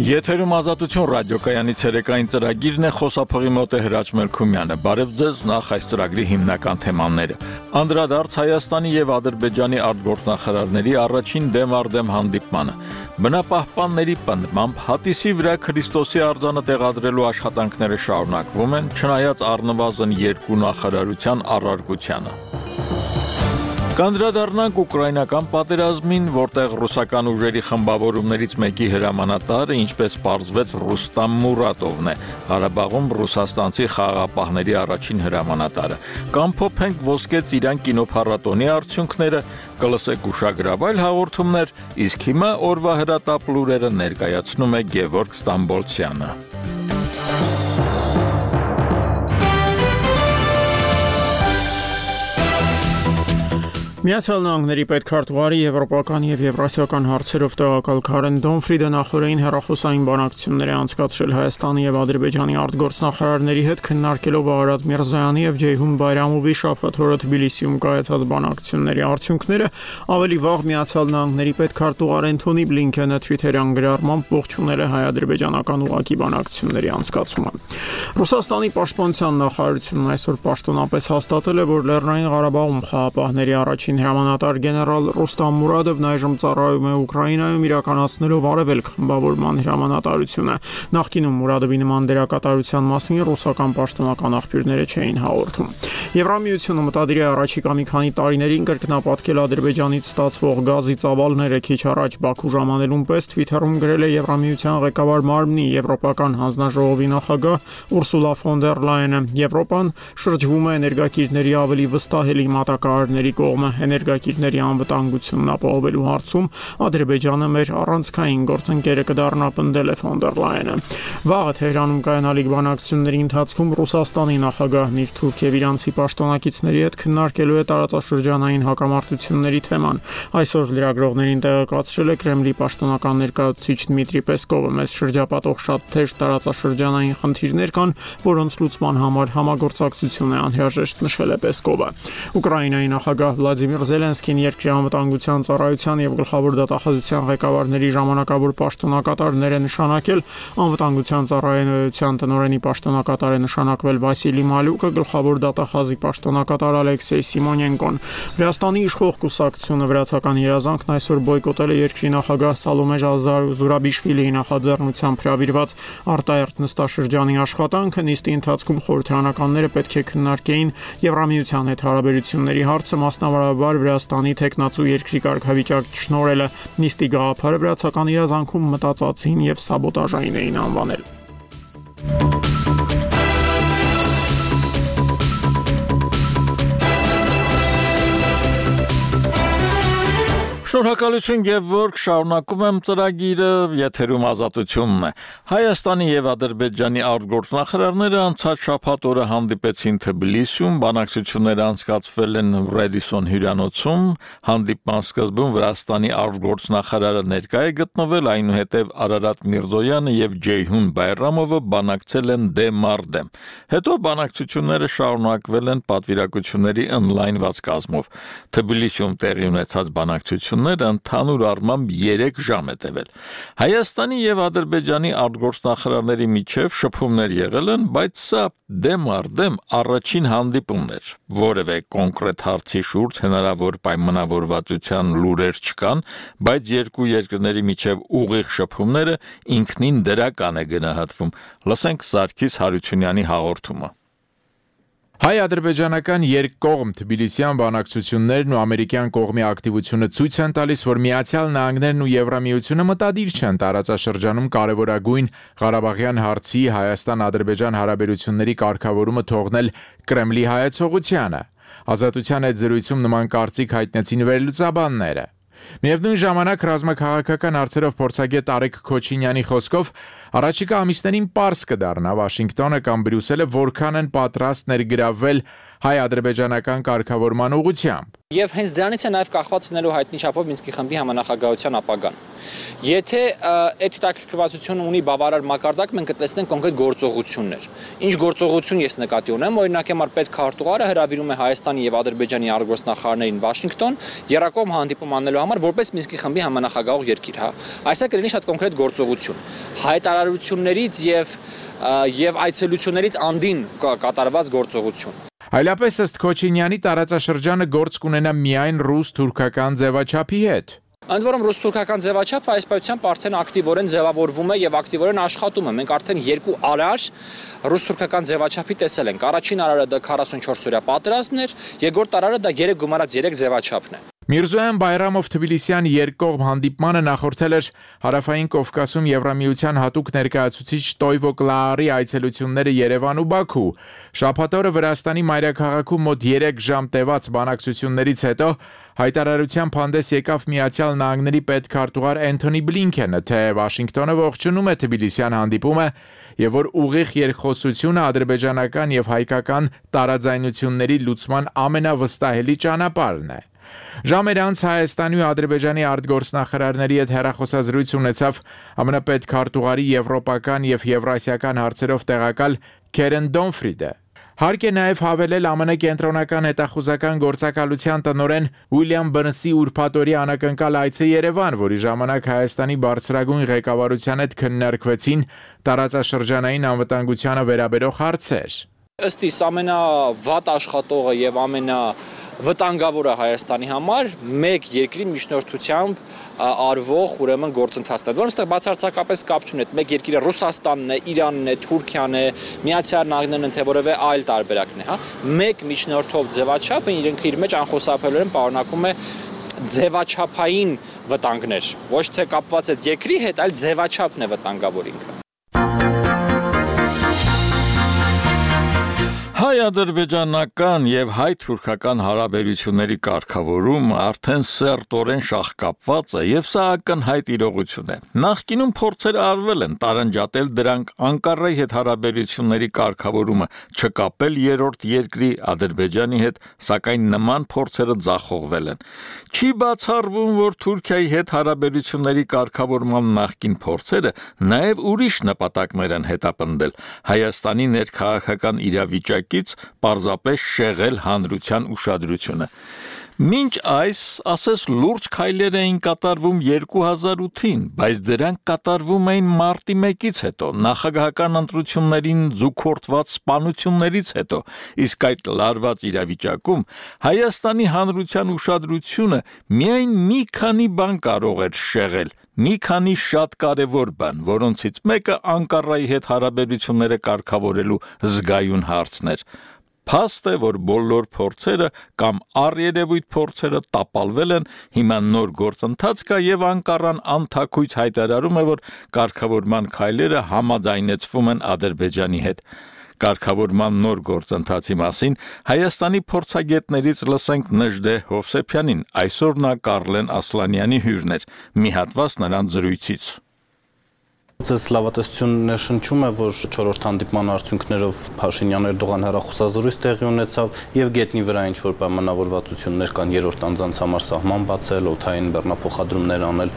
Եթերում ազատություն ռադիոկայանի ցերեկային ծրագիրն է, խոսափողի մոտ է Հրաչ Մելքումյանը։ Բարև ձեզ, նախ այս ծրագրի հիմնական թեմաները։ Անդրադարձ Հայաստանի եւ Ադրբեջանի արտգործնախարարների առաջին դեմ առ դեմ հանդիպմանը։ Բնապահպանների պնդմամբ հատիսի վրա Քրիստոսի արձանը տեղադրելու աշխատանքները շարունակվում են, չնայած առնվազն 2 նախարարության առարկությանը։ Կանդրադառնանք ուկրաինական պատերազմին, որտեղ ռուսական ուժերի խմբավորումներից մեկի հրամանատարը, ինչպես պարզվեց, Ռուստամ Մուրատովն է, Ղարաբաղում ռուսաստանցի խաղաղապահների առաջին հրամանատարը։ Կամփոփենք Ոսկե ծիրան կինոփառատոնի արդյունքները, կլսեք ուշագրավայր հաղորդումներ, իսկ հիմա օրվա հրատապ լուրերը ներկայացնում է Գևորգ Ստամբոլցյանը։ Միացյալ Նահանգների պետքարտուղարի եվրոպական եւ եվրասիական հարցերով տեղակալ Քարեն Դոնֆրիդը նախորդին հեռախոսային բանակցություններ է անցկացրել Հայաստանի եւ Ադրբեջանի արտգործնախարարների հետ, քննարկելով Արարատ Միրզոյանի եւ Ջեյհուն Բայրամովի շաբաթ օրը Թբիլիսիում կայացած բանակցությունների արդյունքները։ Ավելի վաղ Միացյալ Նահանգների պետքարտուղար Էնթոնի Բլինքենը Twitter-յան գրառմամբ ողջունել է հայ-ադրբեջանական ուղղակի բանակցությունների անցկացումը։ Ռուսաստանի պաշտպանության նախարարությունն այսօր պաշտոնապես հաստատել է, որ Լեռնային Ղարաբաղում խաղաղապահների առաջին հրամանատար գեներալ Ռուստամ Մուրադովն այժմ ծառայում է Ուկրաինայում, իրականացնելով Արևելք խմբավորման հրամանատարությունը։ Նախկինում Մուրադովի նման դերակատարության մասին ռուսական պաշտոնական աղբյուրները չէին հաղորդում։ Եվրամիությունը մտադիր է առաջիկա մի քանի տարիներին կրկնապատկել Ադրբեջանից ստացվող գազի ծավալները։ Քիչ առաջ Բաքու ժամանելուն պես Twitter-ում գրել է Եվրամիության ղեկավար մարմնի Եվրոպական հանձնաժողովի նախագահ Ուրսուլա ֆոն դեր Լայենը։ Եվրոպան շրջվում է էներգակիրների ավելի վստահելի մատակարարների կողմը։ Էներգակիրների անվտանգությունն ապահովելու հարցում Ադրբեջանը մեր առանցքային գործընկերը կդառնա, պնդել է ֆոն դեր Լայենը։ Վաղը Թեհրանում կայանալիք բանակցությունների ընթացքում Ռուսաստանի նախագահն իր թուրք եւ իրանցի պաշտոնակիցների հետ քննարկելու է տարածաշրջանային հակամարտությունների թեման։ Այսօր լրագրողներին տեղեկացրել է Կրեմլի պաշտոնական ներկայացուցիչ Դմիտրի Պեսկովը։ Մեզ շրջապատող շատ թեժ տարածաշրջանային խնդիրներ կան, որոնց լուծման համար համագործակցություն է անհրաժեշտ, նշել է Պեսկովը։ Ուկրաինայի նախագահ Վլադիմիր Զելենսկին երկրի անվտանգության ծառայության եւ գլխավոր դատախազության ղեկավարների ժամանակավոր պաշտոնակատարներ է նշանակել։ Անվտանգության ծառայության տնօրենի պաշտոնակատար է նշանակվել Վասիլի Մալյուկը, գլխավոր դատախազի պաշտոնակատար Ալեքսեյ Սիմոնենկոն։ Վրաստանի իշխող կուսակցությունը վրացական երազանքն այսօր բոյկոտել է երկրի նախագահ Սալոմե Զուրաբիշվիլիի նախաձեռնությամբ հրավիրված արտահերթ նստաշրջանի աշխատանքը։ Նիստի ընթացքում խորհրդարանականները պետք է քննարկեին Եվրամիության հետ հարաբերությունների հարցը, մասնավորաբար Վրաստանի թեկնածու երկրի կարգավիճակ չշնորհելը։ Նիստի գաղափարը վրացական երազանքում մտածածին եւ սաբոտաժային էին անվանել։ Շնորհակալություն Գևորգ, շարունակում եմ ծրագիրը, եթերում ազատությունն է։ Հայաստանի եւ Ադրբեջանի արտգործնախարարները անցած շաբաթ օրը հանդիպեցին Թբիլիսիում, բանակցությունները անցկացվել են Ռեդիսոն հյուրանոցում, հանդիպման սկզբում Վրաստանի արտգործնախարարը ներկա է գտնվել, այնուհետև Արարատ Միրզոյանը եւ Ջեյհուն Բայրամովը բանակցել են դեմ առ դեմ։ Հետո բանակցությունները շարունակվել են պատվիրակությունների on-line-ված կազմով։ Թբիլիսիում տեղի ունեցած բանակցությունները ընդհանուր առմամբ 3 ժամ է տևել։ Հայաստանի եւ Ադրբեջանի արտգործնախարարների միջև շփումներ եղել են, բայց սա դեմ առ դեմ առաջին հանդիպումն էր։ Որևէ կոնկրետ հարցի շուրջ հնարավոր պայմանավորվածության լուրեր չկան, բայց երկու երկրների միջև ուղիղ շփումները ինքնին դրական է գնահատվում։ Լսենք Սարգիս Հարությունյանի հաղորդումը։ Հայ-ադրբեջանական երկկողմ Թբիլիսյան բանակցություններն ու ամերիկյան կողմի ակտիվությունը ցույց են տալիս, որ Միացյալ Նահանգներն ու Եվրամիությունը մտադիր չեն տարածաշրջանում կարևորագույն Ղարաբաղյան հարցի Հայաստան-Ադրբեջան հարաբերությունների կարգավորումը թողնել Կրեմլի հայեցողությանը։ Ազատության այդ զրույցում նման կարծիք հայտնեցին վերլուծաբանները։ Միևնույն ժամանակ ռազմաքաղաքական հարցերով փորձագետ Արեգ Քոչինյանի խոսքով առաջիկա ամիսներին պարզ կդառնա Վաշինգտոնը կամ Բրյուսելը որքան են պատրաստ ներգրավվել հայ-ադրբեջանական կարգավորման ուղղությամբ։ Եվ հենց դրանից է նաև կախված լինելու հայտնի չափով Մինսկի խմբի համանախագահության ապագան։ Եթե այդ հետաքրքրվածությունը ունի բավարար մակարդակ, մենք կտեսնենք կոնկրետ գործողություններ։ Ինչ գործողություն ես նկատի ունեմ, օրինակ համար պետքարտուղարը հրավիրում է Հայաստանի եւ Ադրբեջանի արտգործնախարարներին Վաշինգտոն երակողմ հանդիպում անելու համար որպես Մինսկի խմբի համանախագահող երկիր, հա։ Այսա կլինի շատ կոնկրետ գործողություն։ Հայտարարություններից եւ այցելություններից անդին կատարված գործողություն։ Այլապես ըստ Քոչինյանի տարածաշրջանը գործ կունենա միայն ռուս-թուրքական ձևաչափի հետ։ Ընդ որում ռուս-թուրքական ձևաչափը այս պայությամբ արդեն ակտիվորեն ձևավորվում է եւ ակտիվորեն աշխատում է։ Մենք արդեն երկու արար ռուս-թուրքական ձևաչափի տեսել ենք։ Առաջին արարը դա 44-օրյա պատերազմն էր, երկրորդ արարը դա 3+3 ձևաչափն է։ Միրզոյան Բայրամով Թբիլիսյան երկկողմ հանդիպմանը նախորդել էր Հարավային Կովկասում Եվրամիության հատուկ ներկայացուցիչ Տոյվո Կլաարի այցելությունները Երևան ու Բաքու։ Շաբաթ օրը Վրաստանի մայրաքաղաքում մոտ 3 ժամ տևած բանակցություններից հետո հայտարարությամբ հանդես եկավ Միացյալ Նահանգների պետքարտուղար Էնթոնի Բլինքենը, թե Վաշինգտոնը ողջունում է Թբիլիսյան հանդիպումը եւ որ ուղիղ երկխոսությունը ադրբեջանական եւ հայկական տարաձայնությունների լուծման ամենավստահելի ճանապարհն է։ Ժամեր անց Հայաստանի ու Ադրբեջանի արտգործնախարարների հետ հեռախոսազրույց ունեցավ ԱՄՆ պետքարտուղարի եվրոպական եւ եվրասիական հարցերով տեղակալ Քերեն Դոնֆրիդը։ Հարկ է նաև հավելել ԱՄՆ կենտրոնական հետախուզական գործակալության տնօրեն Ուիլյամ Բըրնսի ուրբաթօրյա անակնկալ այցը Երևան, որի ժամանակ Հայաստանի բարձրագույն ղեկավարության հետ քննարկվեցին տարածաշրջանային անվտանգությանը վերաբերող հարցեր։ Ըստ իս ամենավատ աշխատողը եւ ամենավտանգավորը Հայաստանի համար մեկ երկրի միջնորդությամբ արվող ուրեմն գործընթացն է, որոնց այստեղ բացարձակապես կապ չունի։ Մեկ երկիրը Ռուսաստանն է, Իրանն է, Թուրքիան է, Միացյալ Նահանգներն են, թե որևէ այլ տարբերակն է, հա։ Մեկ միջնորդով ձևաչափը իր մեջ անխուսափելիորեն պարունակում է ձևաչափային վտանգներ, ոչ թե կապված այդ երկրի հետ, այլ ձևաչափն է վտանգավոր ինքը։ Հայ-ադրբեջանական եւ հայ-թուրքական հարաբերությունների կարգավորումը արդեն սերտորեն շահկապված է եւ սա ակնհայտ իրողություն է։ Նախկինում փորձեր արվել են տարանջատել դրանք Անկարայի հետ հարաբերությունների կարգավորումը չկապել երրորդ երկրի Ադրբեջանի հետ, սակայն նման փորձերը ձախողվել են։ Չի բացառվում, որ Թուրքիայի հետ հարաբերությունների կարգավորման նախկին փորձերը նաեւ ուրիշ նպատակներ են հետապնդել Հայաստանի ներքաղաքական իրավիճակից պարզապես շեղել հանրության ուշադրությունը։ Մինչ այս, ասես լուրջ քայլեր էին կատարվում 2008-ին, բայց դրանք կատարվում էին մարտի 1-ից հետո, նախագահական ընտրություններին զուգորդված սպանություններից հետո, իսկ այդ լարված իրավիճակում Հայաստանի հանրության ուշադրությունը միայն մի քանի բան կարող էր շեղել, մի քանի շատ կարևոր բան, որոնցից մեկը Անկարայի հետ հարաբերությունները կարգավորելու զգայուն հարցն էր։ Փաստ է, որ բոլոր փորձերը կամ առերևույթ փորձերը տապալվել են, հիմա նոր գործընթաց կա եւ Անկարան անթաքույց հայտարարում է, որ կարգավորման քայլերը համաձայնեցվում են Ադրբեջանի հետ։ Կարգավորման նոր գործընթացի մասին Հայաստանի փորձագետներից լսենք Նժդե Հովսեփյանին, այսօր նա Կարլեն Ասլանյանի հյուրն էր, մի հատված նրան զրույցից։ Ձեզ լավատեսությունն է շնչում է, որ 4-րդ հանդիպման արդյունքներով Փաշինյան-Էրդողան հեռախոսազրույց տեղի ունեցավ եւ գետնի վրա ինչ-որ պայմանավորվածություններ կան երրորդ անձանց համար սահման բացել, օդային բեռնափոխադրումներ անել։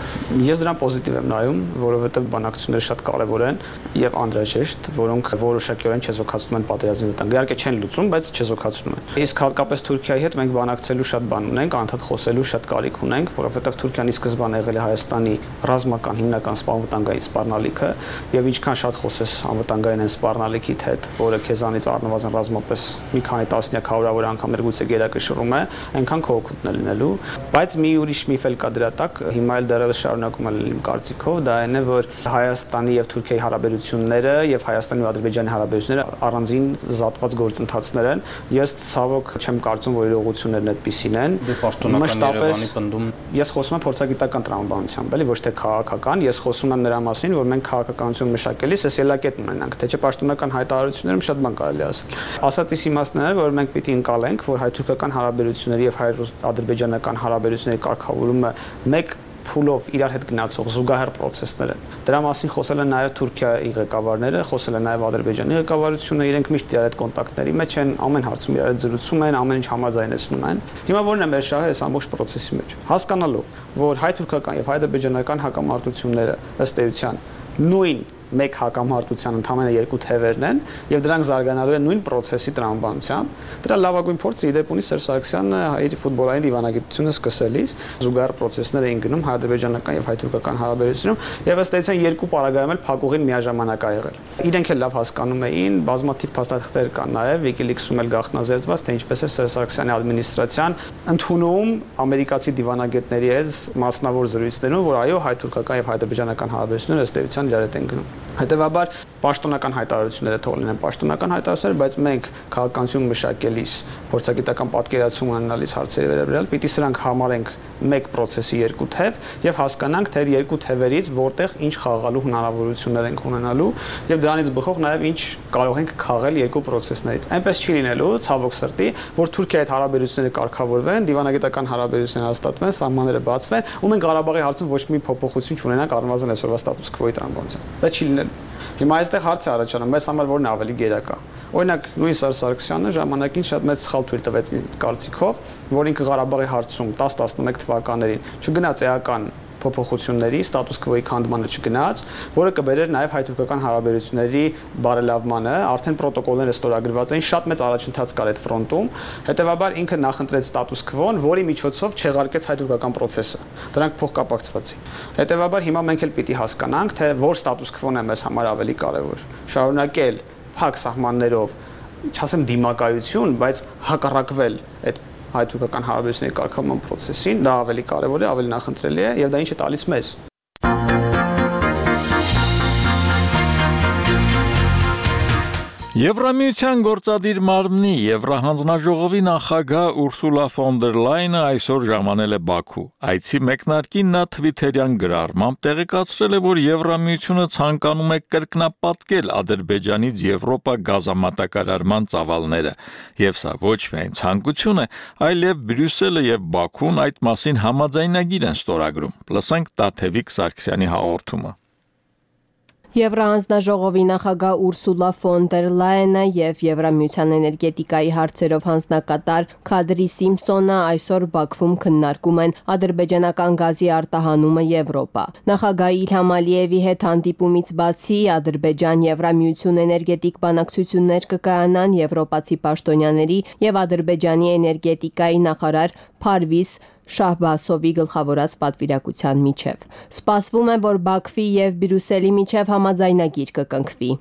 Ես դրան պոզիտիվ եմ նայում, որովհետեւ բանակցությունները շատ կարեւոր են եւ անհրաժեշտ, որոնք որոշակիորեն չեզոքացնում են պատերազմի վտանգը։ Իհարկե չեն լուծում, բայց չեզոքացնում են։ Իսկ հատկապես Թուրքիայի հետ մենք բանակցելու շատ բան ունենք, անդադ խոսելու շատ կարիք ունենք, որովհետեւ Թուրքիան ի սկզբանե եղել է Հայաստանի ռազմական հիմնական սպառնալիքային սպառնալիքը եւ ինչքան շատ խոսես անվտանգային են սպառնալիքիդ հետ, որը քեզանից առնվազն ռազմապես մի քանի տասնյակ հարյուրավոր անգամներ գուցե գերակշռում է, այնքան քո օգուտն է լինելու, բայց մի ուրիշ միֆ էլ կա դրա տակ, հիմա էլ դեռևս շարունակում է լինել իմ կարծիքով, դա այն է, որ Հայաստանի եւ Թուրքիայի հարաբերությունները եւ Հայաստանի ու Ադրբեջանի հարաբերությունները առանձին զատված գործընթացներ են։ Ես ցավոք չեմ կարծում, որ իրողություններն այդպիսին են։ Երևանի պնդում։ Ես խոսում եմ փորձագիտական տրամաբանությամբ, էլի ոչ թե քաղաքական, ես խոսում եմ նրա մասին, որ մենք քաղաքականություն մշակելիս այս ելակետն ունենանք, թե չէ պաշտոնական հայտարարություններում շատ բան կարելի ասել։ Ասածիս իմաստն է, որ մենք պիտի ընկալենք, որ հայ-թուրքական հարաբերությունների եւ հայ-ադրբեջանական հարաբերությունների կարգավորումը մեկ փուլով իրար հետ գնացող զուգահեռ process-ներ են։ Դրա մասին խոսել են նաև Թուրքիայի ղեկավարները, խոսել են նաև Ադրբեջանի ղեկավարությունը, իրենք միշտ իրար հետ կոնտակտների մեջ են, ամեն հարցում իրար հետ զրուցում են, ամեն ինչ համաձայնեցնում են։ Հիմա որն է մեր շահը այս ամբողջ process-ի մեջ։ Հասկանալու, որ հայ-թուրքական եւ հայ-ադրբեջանական հակամարտությունները ըստ էության նույն մեկ հակամարտության ընդամենը երկու թևերն են եւ դրանք զարգանալու են նույն process-ի տրամաբանությամբ։ Դրա լավագույն փորձը իդեպ ունի Սերժ Սարգսյանը իր ֆուտբոլային դիվանագիտությունը սկսելիս զուգահեռ process-ներ էին գնում հայ-ադրբեջանական եւ հայ-թուրքական հարաբերություններում եւ ըստ էության երկու պարագայում էլ փակուղին միաժամանակ ա եղել։ Իրենք էլ լավ հասկանում էին, բազմաթիվ փաստաթղթեր կան նաեւ WikiLeaks-ում էլ գաղտնազերծված, թե ինչպես է Սերժ Սարգսյանի ադմինիստրացիան ընդունում ամերիկացի դիվանագետների հետ մասնավոր զրույցներում, որ այո, հայ-թուրքական եւ հայ-ադրբեջանական հարաբերությունները ըստ էության իրար հետ են գնում։ Հետևաբար պաշտոնական հայտարարությունները թողնեն են պաշտոնական հայտարարություններ, բայց մենք քաղաքականություն մշակելիս, փորձագիտական պատկերացում ունենալիս հարցերի վերաբերյալ պիտի սրանք համարենք մեկ process-ի երկու թև եւ հասկանանք, թե այդ երկու թևերից որտեղ ինչ խաղալու հնարավորություններ ենք ունենալու եւ դրանից բխող նաեւ ինչ կարող ենք քաղել երկու process-ներից։ Այնպես չի լինելու, ցավոք սրտի, որ Թուրքիայի հետ հարաբերությունները կարգավորվեն, դիվանագիտական հարաբերությունները հաստատվեն, սահմանները բացվեն, ու մենք Ղարաբաղի հարցում ոչ մի փոփոխություն չունենանք առնվազն այսօրվա ստատուս քվոյի տրամաբանությամբ։ Դա չի լինելու։ Հիմա այստեղ հարց է առաջանում, մեզ համար որն է ավելի գերակա։ Օրինակ, նույն Սերժ Սարգսյանը ժամանակին շատ մեծ սխալ թույլ տվեց կարծիքով, որ ինքը Ղարաբաղի հարցում 10-11 թվականներին չգնաց էական փոփոխությունների, ստատուս քվոյի քանդմանը չգնաց, որը կբերեր նաև հայ-թուրքական հարաբերությունների բարելավմանը, արդեն պրոտոկոլները ստորագրված էին, շատ մեծ առաջընթաց կար այդ ֆրոնտում, հետևաբար ինքը նախընտրեց ստատուս քվոն, որի միջոցով չեղարկեց հայ-թուրքական process-ը։ Դրանք փոխկապակցված էին։ Հետևաբար հիմա մենք էլ պիտի հասկանանք, թե որ ստատուս քվոն է մեզ համար ավելի կարևոր։ Շարունակել փակ սահմաններով, չասեմ դիմակայություն, բայց հակառակվել այդ հայ-թուրքական հարաբերությունների կարգավորման process-ին, դա ավելի կարևոր է, ավելի նախընտրելի է եւ դա ինչ է տալիս մեզ։ Եվրամիության գործադիր մարմնի Եվրահանձնաժողովի նախագահ Ուրսուլա ֆոն դեր Լայնը այսօր ժամանել է Բաքու։ Այցի մեկնարկին նա թվիթերյան գրառմամբ տեղեկացրել է, որ Եվրամիությունը ցանկանում է կրկնապատկել Ադրբեջանից Եվրոպա գազամատակարարման ծավալները։ Եվ սա ոչ միայն ցանկություն է, այլև Բրյուսելը եւ Բաքուն այդ մասին համաձայնագիր են ստորագրում։ Լսենք Տաթևիկ Սարգսյանի հաղորդումը։ Եվրահանձնաժողովի նախագահ Ուրսուլա ֆոն դեր Լայենը եւ Եվրամիության էներգետիկայի հարցերով հանձնակատար Քադրի Սիմփսոնը այսօր Բաքվում քննարկում են ադրբեջանական գազի արտահանումը Եվրոպա։ Նախագահ Իլհամ Ալիևի հետ հանդիպումից բացի Ադրբեջան-Եվրամիություն էներգետիկ բանակցություններ կկայանան եվրոպացի պաշտոնյաների եւ Ադրբեջանի էներգետիկայի նախարար Փարվիս Շահբասովի գլխավորած պատվիրակության միջև։ Սպասվում է, որ Բաքվի եւ Բրյուսելի միջև համաձայնագիր կկնքվի։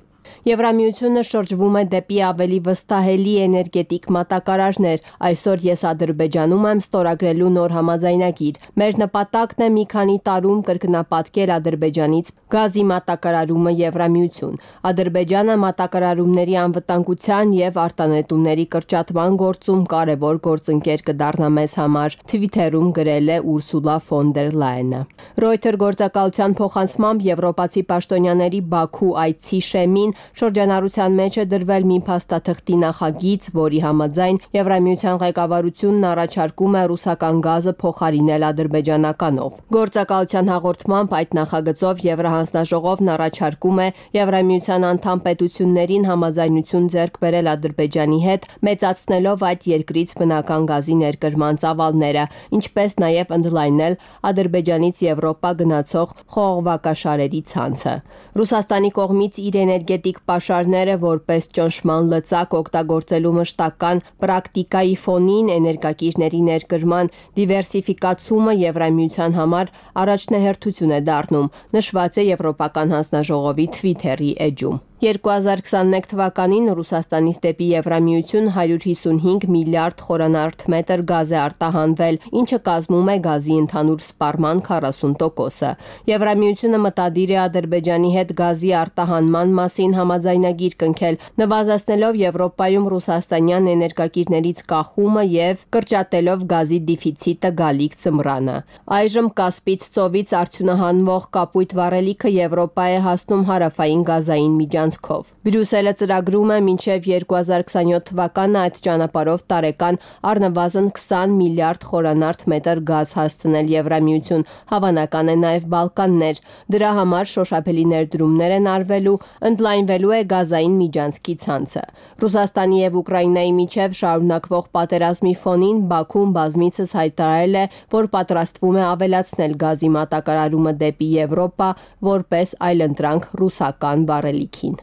Եվրամիությունը շրջվում է դեպի ավելի վստահելի էներգետիկ մատակարարներ։ Այսօր ես Ադրբեջանում եմ ստորագրելու նոր համաձայնագիր։ Մեր նպատակն է մի քանի տարում կրկնապատկել Ադրբեջանից գազի մատակարարումը Եվրամիություն։ Ադրբեջանը մատակարարումների անվտանգության եւ արտանետումների կրճատման գործում կարևոր գործընկեր կդառնա մեզ համար, Twitter-ում գրել է Ուրսուլա ֆոն դեր Լայենը։ Reuters գործակալության փոխանցմամբ եվրոպացի պաշտոնյաների Բաքու այցի շեմին շրջանառության մեջ է դրվել մի փաստաթղթի նախագիծ, որի համաձայն Եվրամիության ղեկավարությունն առաջարկում է ռուսական գազը փոխարինել ադրբեջանականով։ Գործակալության հաղորդմամբ այդ նախագծով Եվրահանձնաժողովն առաջարկում է Եվրամիության անդամ պետություններին համաձայնություն ձեռք բերել Ադրբեջանի հետ, մեծացնելով այդ երկրից բնական գազի ներկրման ծավալները, ինչպես նաև ընդլայնել Ադրբեջանից Եվրոպա գնացող խողովակաշարերի ցանցը։ Ռուսաստանի կողմից իր էներգետիկ պաշարները որպես ճնշման լծակ օգտագործելու մշտական պրակտիկայի ֆոնին էներգակիրների ներկրման դիվերսիֆիկացումը Եվրամիության համար առաջնահերթություն է դառնում, նշված է Եվրոպական հանձնաժողովի Twitter-ի էջում։ 2021 թվականին Ռուսաստանից դեպի Եվրամիություն 155 միլիարդ խորանարդ մետր գազ է արտահանվել, ինչը կազմում է գազի ընդհանուր սպառման 40%-ը։ Եվրամիությունը մտադիր է Ադրբեջանի հետ գազի արտահանման մասին համաձայնագիր կնքել, նվազեցնելով Եվրոպայում ռուսաստանյան էներգակիրներից կախումը եւ կրճատելով գազի դեֆիցիտը գալիք ձմռանը։ Այժմ Կասպից ծովից արդյունահանվող կապույտ վառելիքը Եվրոպա է հասնում հարավային գազային միջանցքով միջանցքով։ Բրյուսելը ծրագրում է մինչև 2027 թվականը այդ ճանապարհով տարեկան առնվազն 20 միլիարդ խորանարդ մետր գազ հասցնել Եվրամիություն, հավանական է նաև Բալկաններ։ Դրա համար շոշափելի ներդրումներ են արվելու, ընդլայնվելու է գազային միջանցքի ցանցը։ Ռուսաստանի եւ Ուկրաինայի միջև շարունակվող պատերազմի ֆոնին Բաքուն բազմիցս հայտարարել է, որ պատրաստվում է ավելացնել գազի մատակարարումը դեպի Եվրոպա, որպես այլընտրանք ռուսական վառելիքին։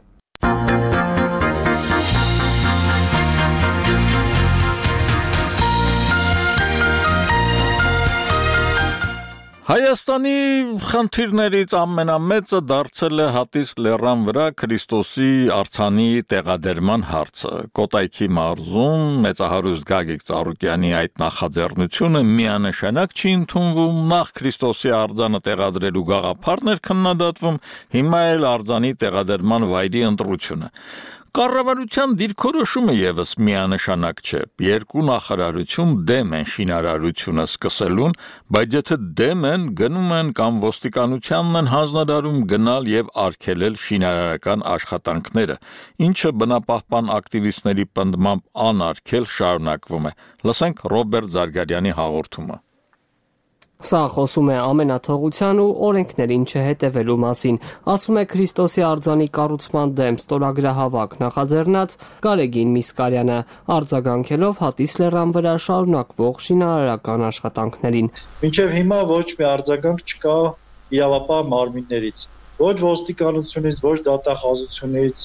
Հայաստանի խնդիրներից ամենամեծը դարձել է Հատիս լեռան վրա Քրիստոսի արձանի տեղադրման հարցը։ Կոտայքի մարզում մեծահարուստ Գագիկ Ծառուկյանի այդ նախաձեռնությունը միանշանակ չի ընդունվում, նախ Քրիստոսի արձանը տեղադրելու գաղափարն էր քննադատվում, հիմա էլ արձանի տեղադրման վայրի ընտրությունը։ Կառավարության դիրքորոշումը եւս միանշանակ չէ։ Երկու նախարարություն դեմ են շինարարությունը սկսելուն, բայց եթե դեմ են, գնում են կամ ոստիկանությանն են հանձնարարում գնալ եւ արգելել շինարարական աշխատանքները, ինչը բնապահպան ակտիվիստների պնդմամբ անարգել շարունակվում է։ Լսենք Ռոբերտ Զարգարյանի հաղորդումը։ Սա խոսում է ամենաթողության ու օրենքներին չհետևելու մասին, ասում է Քրիստոսի արձանի կառուցման դեմ ստորագրահավաք նախաձեռնած Գարեգին Միսկարյանը, արձագանքելով Հատիս լեռան վրա շարունակվող շինարարական աշխատանքներին։ Մինչև հիմա ոչ մի արձագանք չկա իրավապահ մարմիններից, ոչ ոստիկանությունից, ոչ դատախազությունից,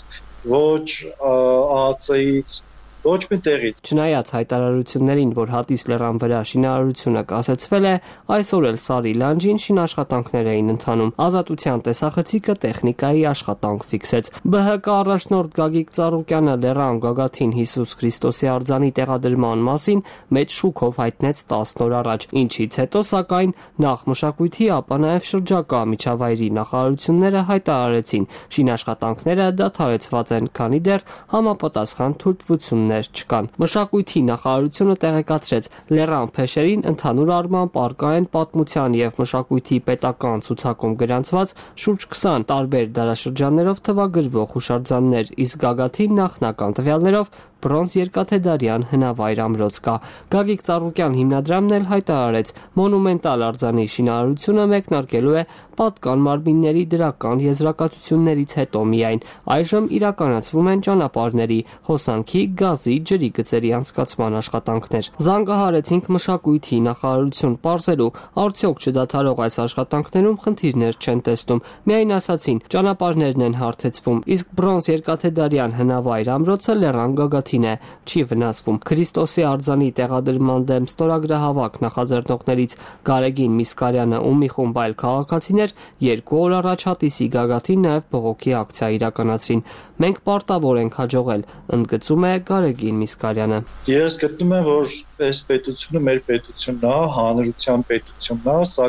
ոչ ԱԱՑ-ից, ոչ մի տեղից։ Չնայած հայտարարություններին, որ Հատիս լեռան վրա շինարարությունը կասեցվել է, այսօր էլ Սարի լանջին շինաշխատանքներ էին ընթանում։ Ազատության տեսախցիկը տեխնիկայի աշխատանք ֆիքսեց։ ԲՀԿ առաջնորդ Գագիկ Ծառուկյանը լեռան գագաթին Հիսուս Քրիստոսի արձանի տեղադրման մասին մեծ շուկով հայտնեց 10 օր առաջ, ինչից հետո սակայն նախ մշակույթի, ապա նաև շրջակա միջավայրի նախարարությունները հայտարարեցին, շինաշխատանքները դադարեցված են, քանի դեռ համապատասխան թույլտվություններ չկան։ Մշակույթի նախարարությունը տեղեկացրեց, լեռան փեշերին ընդհանուր առմամբ առկա են պատմության եւ մշակույթի պետական ցուցակում գրանցված շուրջ 20 տարբեր դարաշրջաններով թվագրվող հուշարձաններ, իսկ գագաթին նախնական տվյալներով բրոնզ երկաթեդարյան հնավայր ամրոց կա։ Գագիկ Ծառուկյան հիմնադրամն էլ հայտարարեց, մոնումենտալ արձանի շինարարությունը մեկնարկելու է պատկան մարմինների դրական եզրակացություններից հետո միայն։ Այժմ իրականացվում են ճանապարհների, հոսանքի, գազի, ջրի գծերի անցկացման աշխատանքներ։ Զանգահարեցինք մշակույթի նախարարություն պարզելու, արդյոք չդադարող այս աշխատանքներում խնդիրներ չեն տեսնում։ Միայն ասացին, ճանապարհներն են հարթեցվում, իսկ բրոնզ երկաթեդարյան հնավայր ամրոցը լեռան գագաթին է, չի վնասվում։ Քրիստոսի արձանի տեղադրման դեմ ստորագրահավաք նախաձեռնողներից Գարեգին Միսկարյանը ու մի խումբ այլ քաղաքացիներ 2 օր առաջ Հատիսի գագաթին նաև բողոքի ակցիա իրականացրին։ Մենք պարտավոր ենք հաջողել, ընդգծում է Գարեգին Միսկարյանը։ Ես գտնում եմ, որ այս պետությունը մեր պետությունն է, հանրության պետությունն է, սա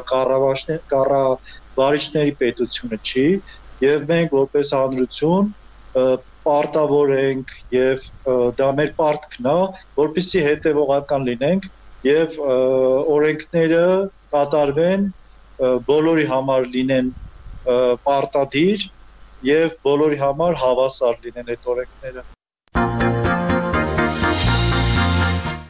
կառավարիչների պետությունը չի, եւ մենք որպես հանրություն պարտավոր ենք եւ դա մեր պարտքն է, որպեսզի հետեւողական լինենք եւ օրենքները կատարվեն, բոլորի համար լինեն պարտադիր եւ բոլորի համար հավասար լինեն այդ օրենքները։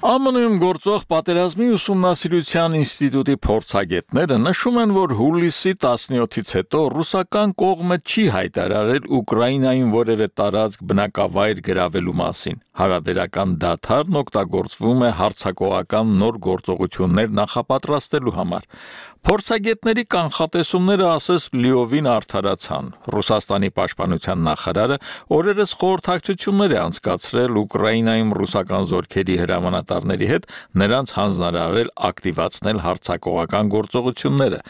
ԱՄՆ-ում գործող պատերազմի ուսումնասիրության ինստիտուտի փորձագետները նշում են, որ հուլիսի 17-ից հետո ռուսական կողմը չի հայտարարել Ուկրաինային որևէ տարածք բնակավայր գրավելու մասին։ Հարաբերական դադարն օգտագործվում է հարձակողական նոր գործողություններ նախապատրաստելու համար։ Փորձագետների կանխատեսումները ասես լիովին արդարացան։ Ռուսաստանի պաշտպանության նախարարը օրերս խորհրդակցություններ է անցկացրել Ուկրաինայում ռուսական զորքերի հրամանատարների հետ, նրանց հանձնարարել ակտիվացնել հարձակողական գործողությունները։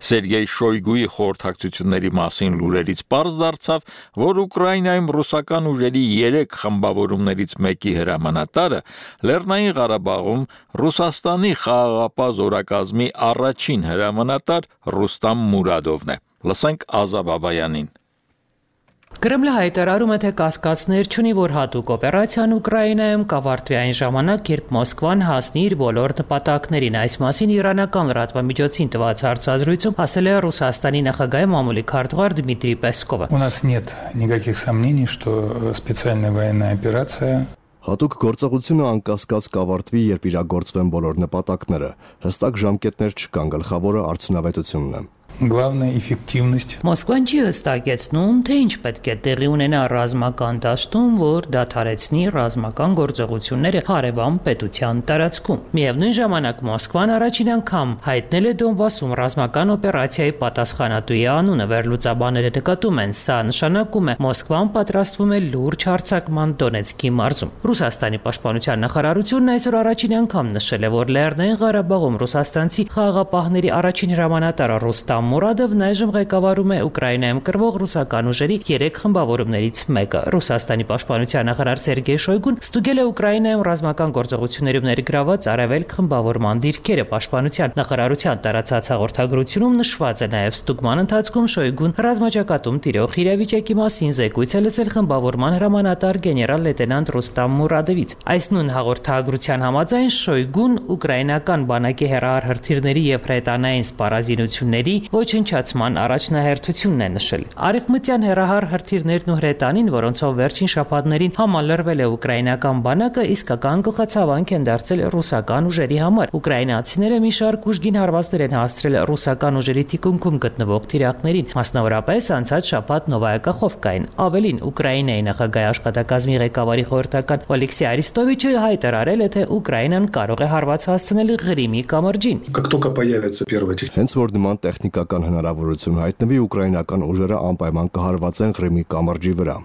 Սերգեյ Շոյգուի խորհրդակցությունների մասին լուրերից պարզ դարձավ, որ Ուկրաինայում ռուսական ուժերի 3 խմբավորումներից մեկի հրամանատարը Լեռնային Ղարաբաղում Ռուսաստանի խաղաղապահ զորակազմի առաջին հրամանատար Ռուստամ Մուրադովն է։ Լսենք Ազա Բաբայանին։ Կրեմլը հայտարարում է, թե կասկածներ չունի, որ հատուկ օպերացիան Ուկրաինայում կավարտվի այն ժամանակ, երբ Մոսկվան հասնի իր բոլոր նպատակներին։ Այս մասին իրանական լրատվամիջոցին տված հարցազրույցում ասել է Ռուսաստանի նախագահի մամուլի քարտուղար Դմիտրի Պեսկովը։ У нас нет никаких сомнений, что специальная военная операция Հատուկ գործողությունը անկասկած կավարտվի, երբ իրագործվեն բոլոր նպատակները։ Հստակ ժամկետներ չկան, գլխավորը արդյունավետությունն է։ Главная эффективность. Մոսկվան չի հստակեցնում, թե ինչ պետք է տեղի ունենա ռազմական դաշտում, որ դադարեցնի ռազմական գործողությունները հարևան պետության տարածքում։ Միևնույն ժամանակ Մոսկվան առաջին անգամ հայտնել է Դոնբասում ռազմական օպերացիայի պատասխանատուի անունը։ Վերլուծաբանները նկատում են, սա նշանակում է Մոսկվան պատրաստվում է լուրջ հարձակման Դոնեցկի մարզում։ Ռուսաստանի պաշտպանության նախարարությունն այսօր առաջին անգամ նշել է, որ Լեռնային Ղարաբաղում ռուսաստանցի խաղաղապահների առաջին հրամանատար Ռոստամ Մուրադովն այժմ ղեկավարում է Ուկրաինայում կրվող ռուսական ուժերի 3 խմբավորումներից մեկը։ Ռուսաստանի պաշտպանության նախարար Սերգեյ Շոյգուն ստուգել է Ուկրաինայում ռազմական գործողություններում ներգրաված արևելք խմբավորման դիրքերը։ Պաշտպանության նախարարության տարածած հաղորդագրությունում նշված է նաև ստուգման ընթացքում Շոյգուն ռազմաճակատում տիրող իրավիճակի մասին զեկույց է լսել խմբավորման հրամանատար գեներալ լեյտենանտ Ռոստամ Մուրադովից։ Այս նույն հաղորդագրության համաձայն Շոյգուն ուկրաինական բանակի հեռահար հրթիռների եւ հրետանային սպառազինությունների ոչնչացման առաջնահերթությունն է նշել։ Արևմտյան հեռահար հրթիռներն ու հրետանին, որոնցով վերջին շաբաթներին համալրվել է ուկրաինական բանակը, իսկական գլխացավանք են դարձել ռուսական ուժերի համար։ Ուկրաինացիները մի շարք ուժգին հարվածներ են հասցրել ռուսական ուժերի թիկունքում գտնվող թիրախներին, մասնավորապես անցած շաբաթ Նովայա Կախովկային։ Ավելին, Ուկրաինայի նախագահի աշխատակազմի ղեկավարի խորհրդական Օլեքսի Արիստովիչը հայտարարել է, թե Ուկրաինան կարող է հարված հասցնել Ղրիմի կամրջին։ Հենց որ նման տեխնիկական հնարավորություն հայտնվի, ուկրաինական ուժերը անպայման կհարվածեն Ղրիմի կամրջի վրա։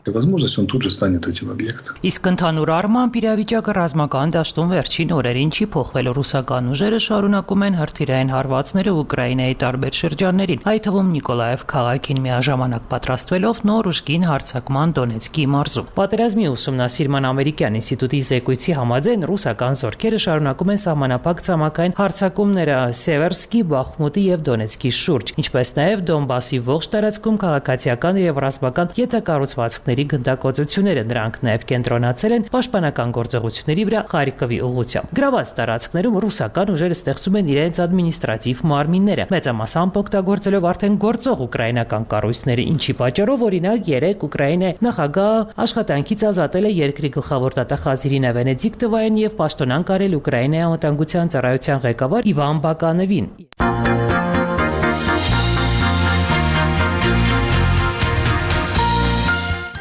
Իսկ ընդհանուր առմամբ իրավիճակը ռազմական դաշտում վերջին օրերին չի փոխվել։ Ռուսական ուժերը շարունակում են հրթիռային հարվածները Ուկրաինայի տարբեր շրջաններին, այդ թվում Նիկոլաև քաղաքին միաժամանակ պատրաստվելով նոր ուժգին հարձակման Դոնեցկի մարզում։ Պատերազմի ուսումնասիրման ամերիկյան ինստիտուտի զեկույցի համաձայն ռուսական զորքերը շարունակում են սահմանափակ ցամաքային հարձակումները Սևերսկի, Բախմուտի եւ Դոնեցկի շուրջ, ինչպես նաև Դոնբասի ողջ տարածքում քաղաքացիական եւ ռազմական յետակառուցվածքների գնդակոծությունները։ Նրանք նաև կենտրոնացել են պաշտպանական գործողությունների վրա Խարկովի ուղղությամբ։ Գրաված տարածքներում ռուսական ուժերը ստեղծում են իրենց ադմինիստրատիվ մարմինները, մեծամասամբ օգտագործելով արդեն գործող ուկրաինական կառույցները, ինչի պատճառով օրինակ 3 Ուկրաինայի նախագահ աշխատանքից ազատել է երկրի գլխավոր դատախազ Իրինա Վենեդիկտովային եւ պաշտոնանկ արել Ուկրաինայի անվտանգության ծառայության ղեկավար Իվան Բականովին։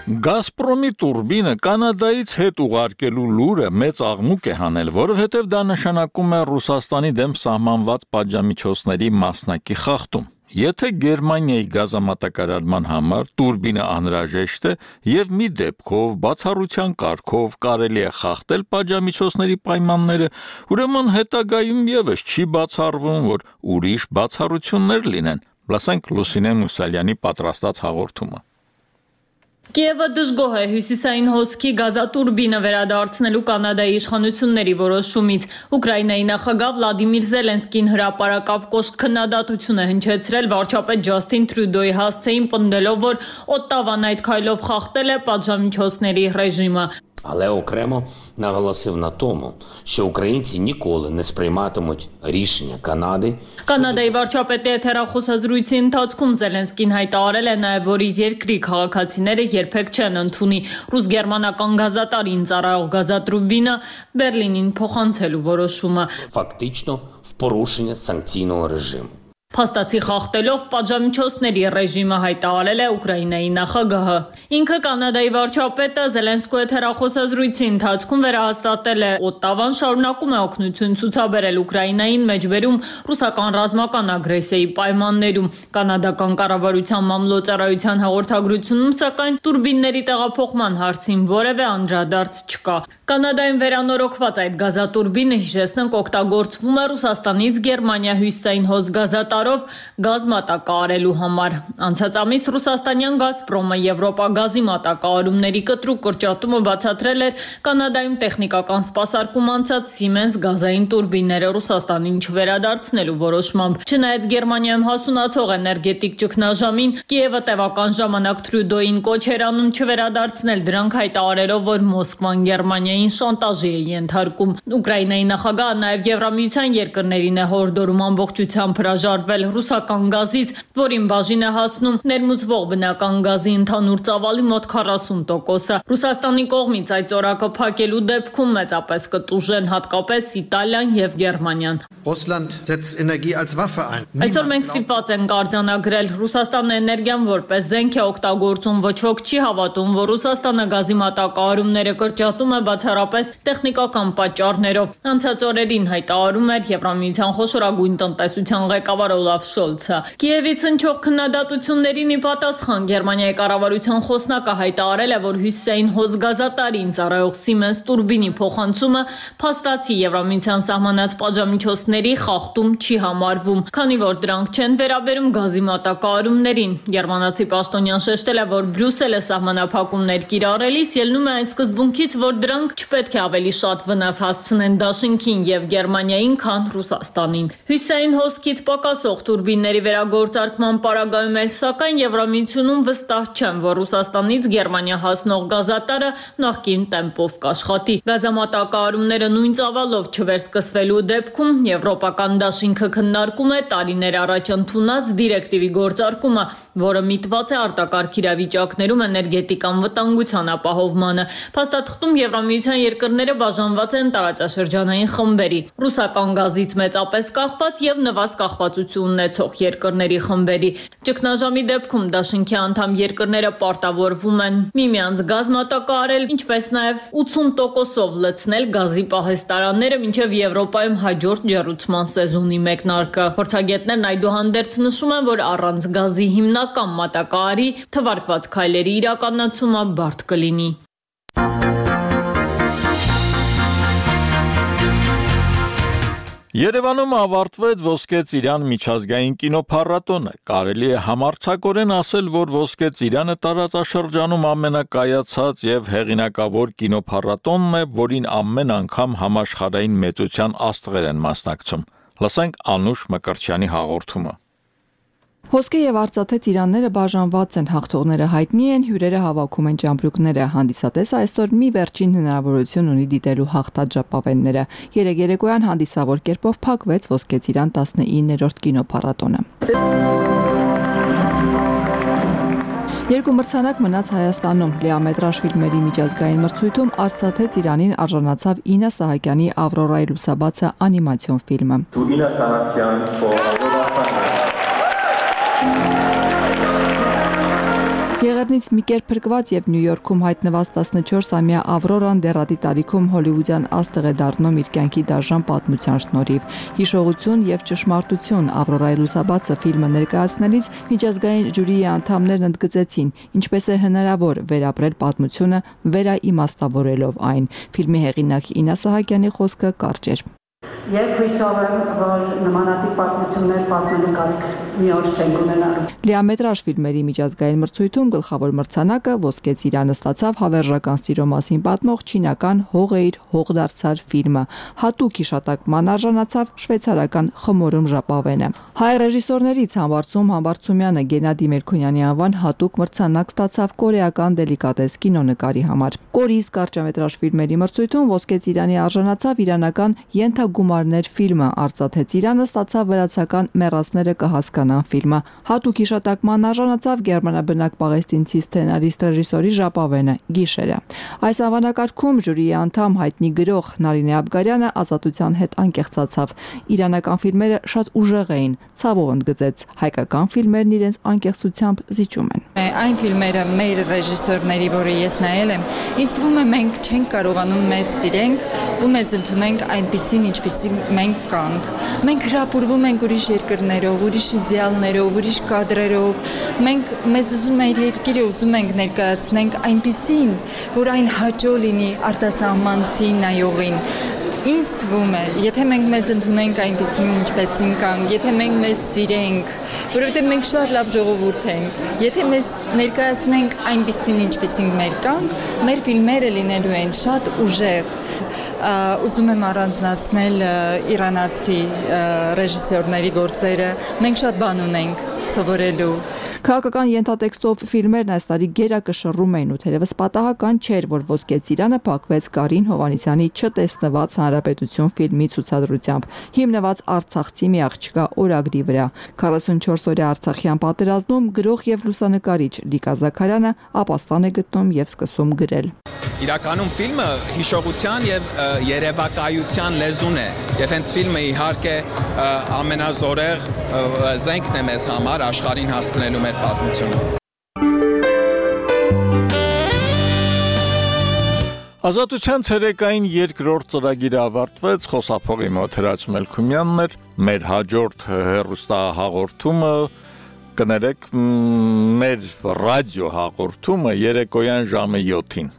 Գազպրոմի տուրբինը Կանադայից հետ ուղարկելու լուրը մեծ աղմուկ է հանել, որովհետև դա նշանակում է Ռուսաստանի դեմ սահմանված պատժամիջոցների մասնակի խախտում։ Եթե Գերմանիայի գազամատակարարման համար տուրբինը անհրաժեշտ է եւ մի դեպքով բացառության կարգով կարելի է խախտել պատժամիջոցների պայմանները, ուրեմն հետագայում եւս չի բացառվում, որ ուրիշ բացառություններ լինեն։ Լսենք Լուսինե Մուսալյանի պատրաստած հաղորդումը։ Կիևը դժգոհ է հյուսիսային հոսքի գազատուրբինը վերադարձնելու Կանադայի իշխանությունների որոշումից։ Ուկրաինայի նախագահ Վլադիմիր Զելենսկին հրապարակավ կոշտ քննադատություն է հնչեցրել վարչապետ Ջասթին Տրյուդոյի հասցեին, պնդելով, որ Օտտավան այդ քայլով խախտել է պատժամիջոցների ռեժիմը։ Але окремо наголосив на тому, що українці ніколи не сприйматимуть рішення Канади. Կանադայի վարչապետի հեռախոսազրույցի ընթացքում Զելենսկին հայտարարել է նաև, որ իր երկրի քաղաքացիները երբեք չեն ընդունի ռուս-գերմանական գազատարին ծառայող գազատրուբինը Բերլինին փոխանցելու որոշումը։ Фактично в порушення санкційного режиму. Փաստացի խախտելով պատժամիջոցների ռեժիմը հայտարարել է Ուկրաինայի նախագահը։ Ինքը Կանադայի վարչապետը Զելենսկուի հեռախոսազրույցի ընթացքում վերահաստատել է Օտտավան շարունակում է օգնություն ցուցաբերել Ուկրաինային մեջբերում ռուսական ռազմական ագրեսիայի պայմաններում։ Կանադական կառավարության մամլոյցարայության հաղորդագրությունում սակայն տուրբինների տեղափոխման հարցին որևէ անդրադարձ չկա։ Կանադայում վերանորոգված այդ գազատուրբինը, հիշեցնենք, օգտագործվում է Ռուսաստանից Գերմանիա հյուսիսային հոս գազատար տարով գազ մատակարարելու համար։ Անցած ամիս ռուսաստանյան Գազպրոմը Եվրոպագազի մատակարարումների կտրուկ կրճատումը բացատրել էր Կանադայում տեխնիկական սպասարկում անցած Siemens գազային տուրբինները Ռուսաստանին չվերադարձնելու որոշմամբ։ Չնայած Գերմանիայում հասունացող էներգետիկ ճգնաժամին, Կիևը տևական ժամանակ Թրյուդոյին կոչ էր անում չվերադարձնել դրանք, հայտարարելով, որ Մոսկվան Գերմանիային շանտաժի է ենթարկում։ Ուկրաինայի նախագահը նաև Եվրամիության երկրներին է հորդորում ամբողջությամբ հրաժարվել ռուսական գազից, որին բաժին է հասնում ներմուծվող բնական գազի ընդհանուր ծավալի մոտ 40%-ը։ Ռուսաստանի կողմից այդ ծորակը փակելու դեպքում մեծապես կտուժեն հատկապես Իտալիան եւ Գերմանիան։ Այսօր մենք ստիպված ենք արձանագրել Ռուսաստանը էներգիան որպես զենք է օգտագործում, ոչ ոք չի հավատում, որ Ռուսաստանը գազի մատակարարումները կրճատում է բացառապես տեխնիկական պատճառներով։ Անցած օրերին հայտարարում էր Եվրամիության խոշորագույն տնտեսության ղեկավար Օլաֆ Շոլցը։ Կիևից հնչող քննադատություններին ի պատասխան Գերմանիայի կառավարության խոսնակը հայտարարել է, որ հյուսիսային հոսգազատարին ծառայող Siemens տուրբինի փոխանցումը փաստացի Եվրամիության սահմանած պատժամիջոցների խախտում չի համարվում, քանի որ դրանք չեն վերաբերում գազի մատակարարումներին։ Գերմանացի պաշտոնյան շեշտել է, որ Բրյուսելը սահմանափակումներ կիրառելիս ելնում է այն սկզբունքից, որ դրանք չպետք է ավելի շատ վնաս հասցնեն Դաշինքին եւ Գերմանիային, քան Ռուսաստանին։ Հյուսիսային հոսքից պակասող տուրբինների վերագործարկման պարագայում էլ սակայն Եվրամիությունում վստահ չեն, որ Ռուսաստանից Գերմանիա հասնող գազատարը նախկին տեմպով կաշխատի։ Գազամատակարարումները նույն ծավալով չվերսկսվելու դեպքում Եվրոպական դաշինքը քննարկում է տարիներ առաջ ընդունած դիրեկտիվի գործարկումը, որը միտված է արտակարգ իրավիճակներում էներգետիկ անվտանգության ապահովմանը։ Փաստաթղթում Եվրամիության երկրները բաժանված են տարածաշրջանային խմբերի՝ ռուսական գազից մեծապես կախված եւ նվազ կախվածություն ունեցող երկրների խմբերի։ Ճգնաժամի դեպքում դաշինքի անդամ երկրները պարտավորվում են միմյանց գազ մատակարարել, ինչպես նաեւ 80%-ով լցնել գազի պահեստարանները մինչև Եվրոպայում հաջորդ ջեռուցման սեզոնի մեկնարկը։ Փորձագետներն այդուհանդերձ նշում են, որ առանց գազի հիմնական մատակարարի թվարկված քայլերի իրականացումը բարդ կլինի։ Երևանում ավարտվեց Ոսկե Ծիրան միջազգային կինոփառատոնը։ Կարելի է համարձակորեն ասել, որ Ոսկե Ծիրանը տարածաշրջանում ամենակայացած եւ հեղինակավոր կինոփառատոնն է, որին ամեն անգամ համաշխարհային մեծության աստղեր են մասնակցում։ Լսենք Անուշ Մկրտչյանի հաղորդումը։ Ոսկե եւ արծաթե ծիրանները բաժանված են, հաղթողները հայտնի են, հյուրերը հավաքում են ճամպրուկները, հանդիսատեսը այսօր մի վերջին հնարավորություն ունի դիտելու հաղթած ժապավենները։ Երեկոյան հանդիսավոր կերպով փակվեց Ոսկե Ծիրան 19-րդ կինոփառատոնը։ Երկու մրցանակ մնաց Հայաստանում։ Լիամետրաժ ֆիլմերի միջազգային մրցույթում արծաթե ծիրանին արժանացավ Ինա Սահակյանի Ավրորայի լուսաբացը անիմացիոն ֆիլմը։ Ինա Սահակյան Եղեռնից մի կերպ փրկված եւ Նյու Յորքում հայտնված 14-ամյա Ավրորան դեռատի տարիքում հոլիվուդյան աստղ է դառնում իր կյանքի դաժան պատմության շնորհիվ։ Հիշողություն եւ ճշմարտություն Ավրորայի լուսաբացը ֆիլմը ներկայացնելիս միջազգային ժյուրիի անդամներն ընդգծեցին, ինչպես է հնարավոր վերապրել պատմությունը վերաիմաստավորելով այն։ Ֆիլմի հեղինակ Ինա Սահակյանի խոսքը կարճ էր։ Եվ հույսով եմ, որ նմանատիպ պատմություններ պատմելու կարիք մի օր չենք ունենալու։ Լիամետրաժ ֆիլմերի միջազգային մրցույթում գլխավոր մրցանակը Ոսկե Ծիրանը ստացավ հավերժական սիրո մասին պատմող չինական Հողեիր հողդարձար ֆիլմը։ Հատուկ հիշատակման արժանացավ շվեյցարական Խմորում ժապավենը։ Հայ ռեժիսորներից Համբարձումյանը Գենադի Մելքոնյանի անվան հատուկ մրցանակ ստացավ կորեական դելիկատես կինոնկարի համար։ Կորիս կարճամետրաժ ֆիլմերի մրցույթում Ոսկե Ծիրանի արժանացավ իրանական Ենթագումարներ ֆիլմը, արծաթե ծիրանը ստացավ վրացական Մեռածները կհասկանան ֆիլմը։ Հատուկ հիշատակման արժանացավ գերմանաբնակ պաղեստինցի սցենարիստ ռեժիսորի ժապավենը Գիշերը։ Այս անվանակարգում ժյուրիի անդամ հայտնի գրող Նարինե Աբգարյանը ազատության հետ անկեղծացավ։ Իրանական ֆիլմերը շատ ուժեղ էին, ցավով ընդգծեց, հայկական ֆիլմերն իրենց անկեղծությամբ զիջում են։ Այն ֆիլմերը մեր ռեժիսորների, որը ես նայել եմ, ինձ թվում է մենք չենք կարողանում մեզ սիրենք ու մեզ ընդունենք այնպիսին, ինչպիսին մենք կանք։ Մենք հրապուրվում ենք ուրիշ երկրներով, ուրիշ իդեալներով, ուրիշ կադրերով։ Մենք մեզ ուզում մեր երկիրը ուզում ենք ներկայացնենք այնպիսին, որ այն հաճո լինի արտասահմանցի նայողին։ Ինձ թվում է, եթե մենք մեզ ընդունենք այնպեսին ինչպեսին կանք, եթե մենք մեզ սիրենք, որովհետև մենք շատ լավ ժողովուրդ ենք, եթե մեզ ներկայացնենք այնպեսին ինչպեսին մեր կանք, մեր ֆիլմերը լինելու են շատ ուժեղ։ Ուզում եմ առանձնացնել իրանացի ռեժիսորների գործերը, մենք շատ բան ունենք սովորելու։ Քաղաքական ենթատեքստով ֆիլմերն այս տարի գերակշռում էին ու թերևս պատահական չէր, որ Ոսկե ծիրանը փակվեց Կարին Հովհաննիսյանի «Չտեսնված հանրապետություն» ֆիլմի ցուցադրությամբ, հիմնված արցախցի մի աղջկա օրագրի վրա։ 44-օրյա Արցախյան պատերազմում գրող եւ լուսանկարիչ Լիկա Զաքարյանը ապաստան է գտնում եւ սկսում գրել։ Իրականում ֆիլմը հիշողության եւ երևակայության լեզուն է, եւ հենց ֆիլմը իհարկե ամենազորեղ զենքն է մեզ համար աշխարհին հասցնելու մեր պատմությունը։ Ազատության ցերեկային երկրորդ ծրագիրը ավարտվեց, խոսափողի մոտ Հրաչ Մելքումյանն էր, մեր հաջորդ հեռուստահաղորդումը կներեք մեր ռադիո հաղորդումը երեկոյան ժամը 7-ին։